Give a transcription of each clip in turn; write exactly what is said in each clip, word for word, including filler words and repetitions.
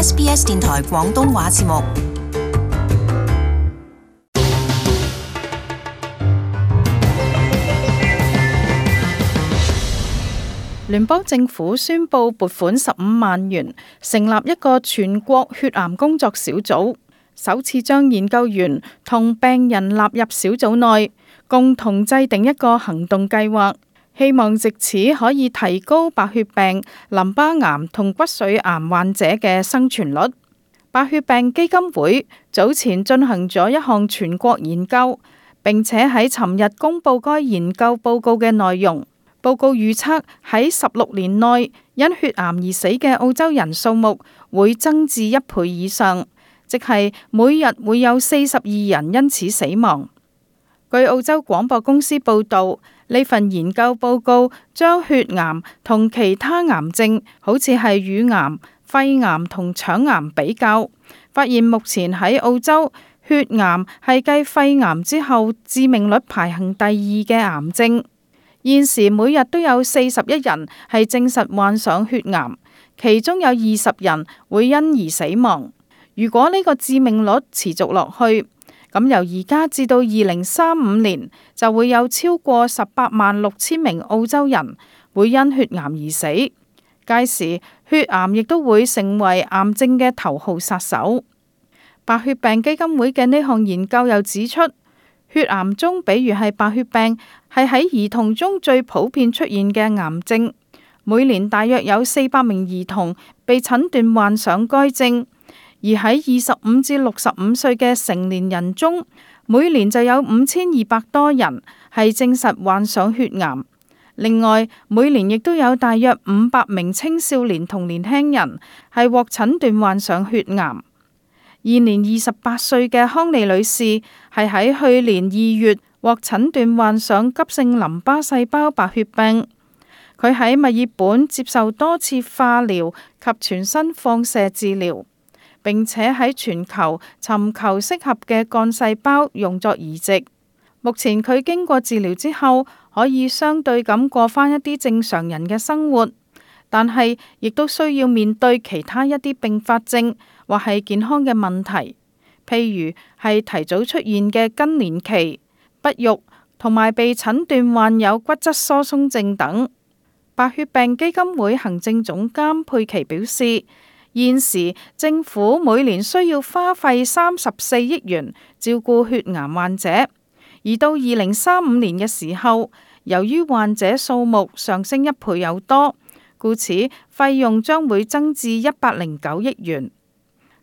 S B S 電台廣東話節目。聯邦政府宣布撥款十五萬元，成立一個全國血癌工作小組，首次將研究員同病人納入小組內，共同制定一個行動計劃，希望藉此可以提高白血病、淋巴癌同骨髓癌患者嘅生存率。白血病基金會早前進行咗一項全國研究，並且喺尋日公布該研究報告嘅內容。報告預測喺十六年內，因血癌而死嘅澳洲人數目會增至一倍以上，即係每日會有四十二人因此死亡。據澳洲廣播公司報導，呢份研究報告將血癌同其他癌症，好似係乳癌、肺癌同腸癌比較，發現目前喺澳洲，血癌係繼肺癌之後致命率排行第二嘅癌症。現時每日都有四十一人係證實患上血癌，其中有二十人會因而死亡。如果呢個致命率持續落去，咁由而家至到二零三五年就會有超過十八萬六千名澳洲人會因血癌而死。屆時血癌亦都會成為癌症嘅頭號殺手。白血病基金會嘅呢項研究又指出，血癌中，比如係白血病，係喺兒童中最普遍出現嘅癌症。每年大約有四百名兒童被診斷患上該症，而喺二十五至六十五歲嘅成年人中，每年就有五千二百多人係證實患上血癌。另外，每年亦都有大約五百名青少年同年輕人係獲診斷患上血癌。現年二十八歲嘅康利女士係喺去年二月獲診斷患上急性淋巴細胞白血病。佢喺墨爾本接受多次化療及全身放射治療，並且喺全球尋求適合嘅幹細胞用作移植。目前佢經過治療之後，可以相對咁過返一啲正常人嘅生活，但係亦都需要面對其他一啲併發症或係健康嘅問題，譬如係提早出現嘅更年期、不育同埋被診斷患有骨質疏鬆症等。白血病基金會行政總監佩奇表示，現時政府每年需要花費三十四億元照顧血癌患者，而到二零三五年嘅時候，由於患者數目上升一倍有多，故此費用將會增至一百零九億元。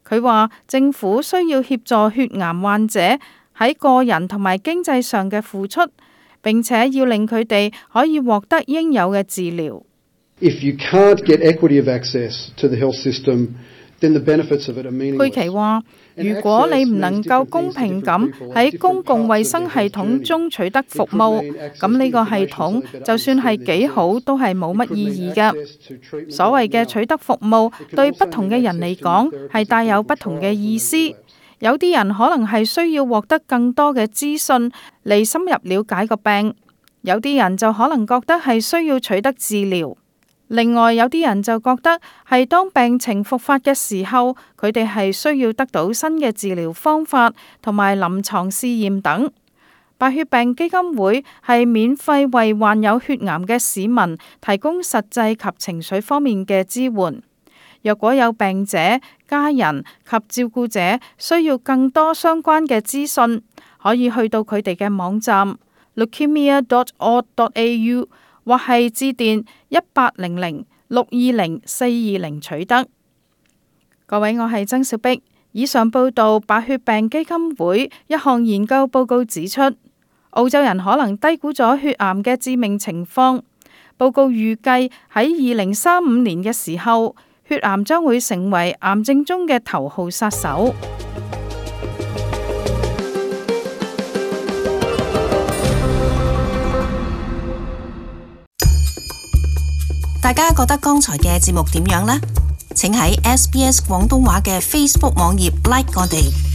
佢話政府需要協助血癌患者喺個人同埋經濟上嘅付出，並且要令佢哋可以獲得應有嘅治療。If you can't get equity of access to the health system, then the benefits of it are meaningless. 佩奇話：如果你唔能夠公平咁喺公共衛生系統中取得服務，咁呢個系統就算係幾好，都係冇乜意義嘅。所謂嘅取得服務，對不同嘅人嚟講係帶有不同嘅意思。有啲人可能係需要獲得更多嘅資訊嚟深入了解個病，有啲人就可能覺得係需要取得治療。另外有啲人就覺得係當病情復發嘅時候，佢哋係需要得到新嘅治療方法同埋臨床試驗等。白血病基金會係免費為患有血癌嘅市民提供實際及情緒方面嘅支援。若果有病者、家人及照顧者需要更多相關嘅資訊，可以去到佢哋嘅網站 leukemia dot org dot a u 或係致電一八零零六二零四二零取得。各位，我係曾小碧。以上報道白血病基金會一項研究報告指出，澳洲人可能低估咗血癌嘅致命情況。報告預計喺二零三五年嘅時候，血癌將會成為癌症中嘅頭號殺手。大家覺得剛才嘅節目點樣呢？請喺 S B S 廣東話嘅 Facebook 網頁 like 我哋。